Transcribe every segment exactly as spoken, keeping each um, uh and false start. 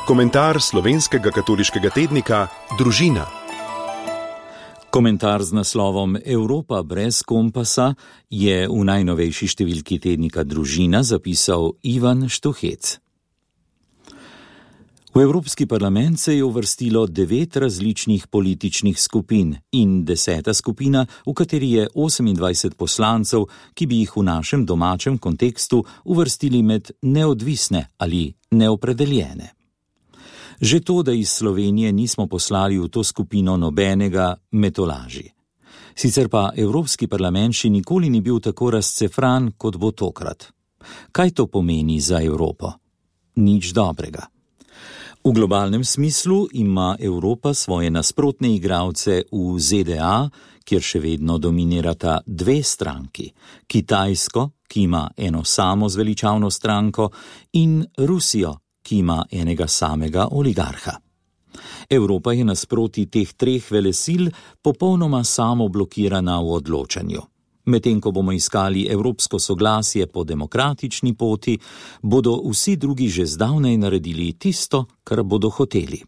Komentar slovenskega katoliškega tednika Družina. Komentar z naslovom Evropa brez kompasa je v najnovejši številki tednika Družina zapisal Ivan Štuhec. V Evropski parlament se je uvrstilo devet različnih političnih skupin in deseta skupina, v kateri je osemindvajset poslancev, ki bi jih v našem domačem kontekstu uvrstili med neodvisne ali neopredeljene. Že to, da iz Slovenije nismo poslali v to skupino nobenega, me tolaži. Sicer pa Evropski parlament še nikoli ni bil tako razcefran, kot bo tokrat. Kaj to pomeni za Evropo? Nič dobrega. V globalnem smislu ima Evropa svoje nasprotne igralce v Z D A, kjer še vedno dominirata dve stranki, Kitajsko, ki ima eno samo zveličavno stranko, in Rusijo, ki ima enega samega oligarha. Evropa je nasproti teh treh velesil popolnoma samoblokirana v odločanju. Medtem ko bomo iskali evropsko soglasje po demokratični poti, bodo vsi drugi že zdavnaj naredili tisto, kar bodo hoteli.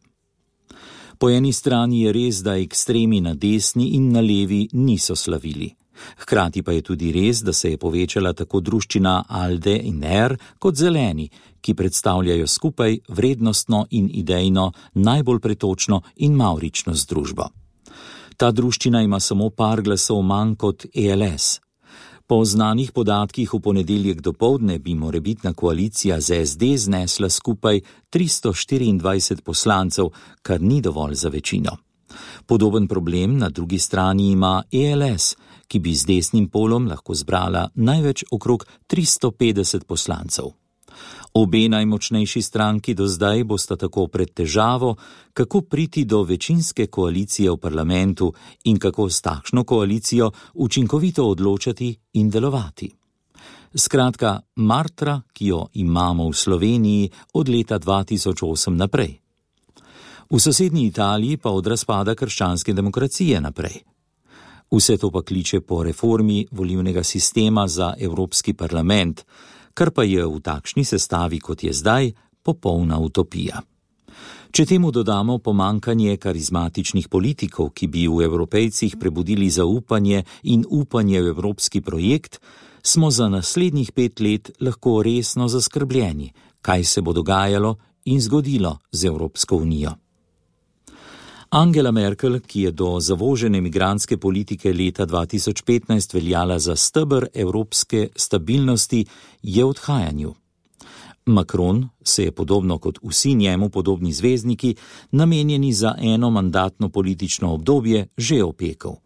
Po eni strani je res, da ekstremi na desni in na levi niso slavili. Hkrati pa je tudi res, da se je povečala tako druščina Alde in R kot Zeleni, ki predstavljajo skupaj vrednostno in idejno najbolj pretočno in mavrično združbo. Ta druščina ima samo par glasov manj kot E L S. Po znanih podatkih v ponedeljek dopoldne bi morebitna koalicija z S D znesla skupaj tristo štiriindvajset poslancev, kar ni dovolj za večino. Podoben problem na drugi strani ima E L S, ki bi z desnim polom lahko zbrala največ okrog tristo petdeset poslancev. Obe najmočnejši stranki do zdaj bosta tako pred težavo, kako priti do večinske koalicije v parlamentu in kako s takšno koalicijo učinkovito odločati in delovati. Skratka, martra, ki jo imamo v Sloveniji od leta dva tisoč osem naprej. V sosednji Italiji pa od razpada krščanske demokracije naprej. Vse to pa kliče po reformi volilnega sistema za Evropski parlament, kar pa je v takšni sestavi, kot je zdaj, popolna utopija. Če temu dodamo pomankanje karizmatičnih politikov, ki bi v Evropejcih prebudili zaupanje in upanje v evropski projekt, smo za naslednjih pet let lahko resno zaskrbljeni, kaj se bo dogajalo in zgodilo z Evropsko unijo. Angela Merkel, ki je do zavožene migrantske politike leta dva tisoč petnajst veljala za steber evropske stabilnosti, je v odhajanju. Macron se je podobno kot vsi njemu podobni zvezdniki, namenjeni za eno mandatno politično obdobje, že opekel.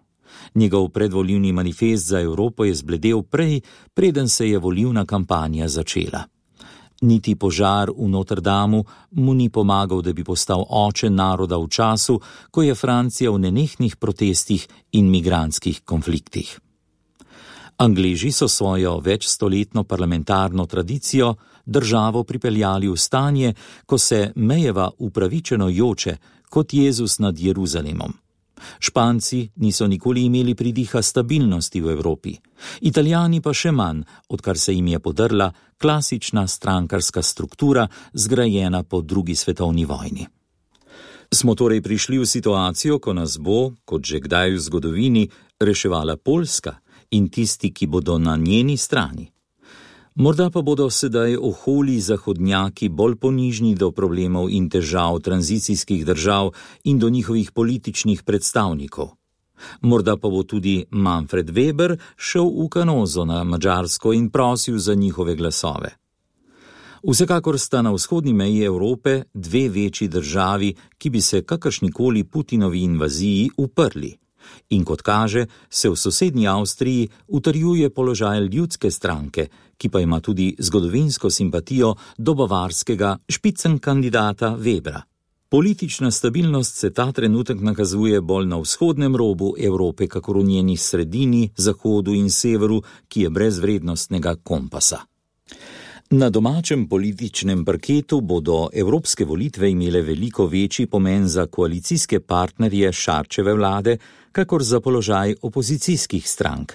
Njegov predvolilni manifest za Evropo je zbledel prej, preden se je volilna kampanja začela. Niti požar v Notre Damu mu ni pomagal, da bi postal oče naroda v času, ko je Francija v nenehnih protestih in migrantskih konfliktih. Angleži so svojo večstoletno parlamentarno tradicijo državo pripeljali v stanje, ko se mejeva upravičeno joče, kot Jezus nad Jeruzalemom. Španci niso nikoli imeli pridiha stabilnosti v Evropi, Italijani pa še manj, odkar se jim je podrla klasična strankarska struktura, zgrajena po drugi svetovni vojni. Smo torej prišli v situacijo, ko nas bo, kot že kdaj v zgodovini, reševala Poljska in tisti, ki bodo na njeni strani. Morda pa bodo sedaj oholi zahodnjaki bolj ponižni do problemov in težav tranzicijskih držav in do njihovih političnih predstavnikov. Morda pa bo tudi Manfred Weber šel v Kanozo na Madžarsko in prosil za njihove glasove. Vsekakor sta na vzhodni meji Evrope dve večji državi, ki bi se kakršnikoli Putinovi invaziji uprli. In kot kaže, se v sosednji Avstriji utrjuje položaj ljudske stranke, ki pa ima tudi zgodovinsko simpatijo do bavarskega špicen kandidata Webra. Politična stabilnost se ta trenutek nakazuje bolj na vzhodnem robu Evrope, kakor v njeni sredini, zahodu in severu, ki je brez vrednostnega kompasa. Na domačem političnem parketu bodo evropske volitve imele veliko večji pomen za koalicijske partnerje Šarčeve vlade, kakor za položaj opozicijskih strank.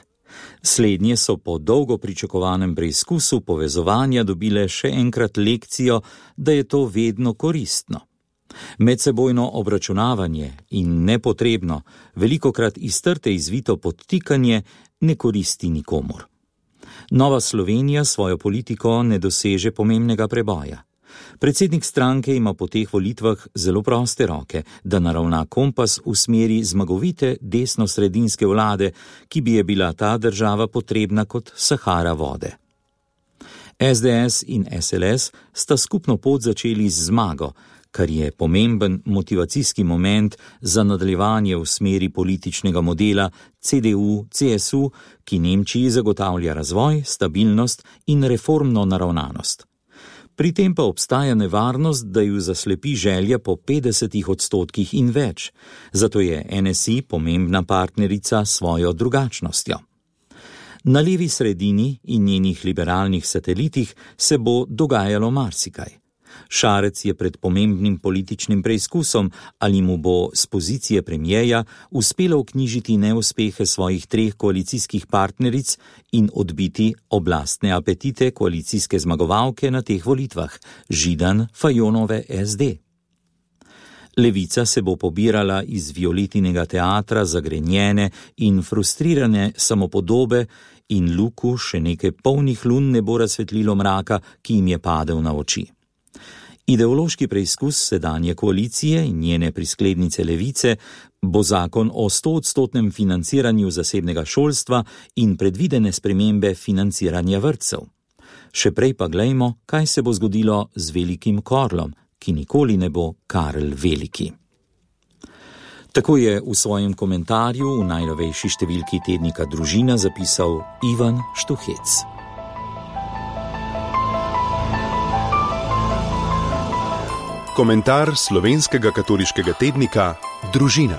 Slednje so po dolgo pričakovanem preizkusu povezovanja dobile še enkrat lekcijo, da je to vedno koristno. Medsebojno obračunavanje in nepotrebno, velikokrat iz trte izvito podtikanje ne koristi nikomur. Nova Slovenija svojo politiko ne doseže pomembnega preboja. Predsednik stranke ima po teh volitvah zelo proste roke, da naravna kompas v smeri zmagovite desno-sredinske vlade, ki bi je bila ta država potrebna kot Sahara vode. es de es in es el es sta skupno pot začeli z zmago, kar je pomemben motivacijski moment za nadaljevanje v smeri političnega modela ce de u ce es u, ki Nemčiji zagotavlja razvoj, stabilnost in reformno naravnanost. Pri tem pa obstaja nevarnost, da ju zaslepi želja po petdesetih odstotkih in več, zato je en es i pomembna partnerica s svojo drugačnostjo. Na levi sredini in njenih liberalnih satelitih se bo dogajalo marsikaj. Šarec je pred pomembnim političnim preizkusom, ali mu bo z pozicije premijeja uspelo vknjižiti neuspehe svojih treh koalicijskih partneric in odbiti oblastne apetite koalicijske zmagovalke na teh volitvah, Židan Fajonove es de. Levica se bo pobirala iz Violetinega teatra zagrenjene in frustrirane samopodobe in luku še nekaj polnih lun ne bo razsvetlilo mraka, ki jim je padel na oči. Ideološki preizkus sedanje koalicije in njene prisklednice Levice bo zakon o stoodstotnem financiranju zasebnega šolstva in predvidene spremembe financiranja vrtcev. Še prej pa glejmo, kaj se bo zgodilo z velikim Korlom, ki nikoli ne bo Karl Veliki. Tako je v svojem komentarju v najnovejši številki tednika Družina zapisal Ivan Štuhec. Komentar slovenskega katoliškega tednika Družina.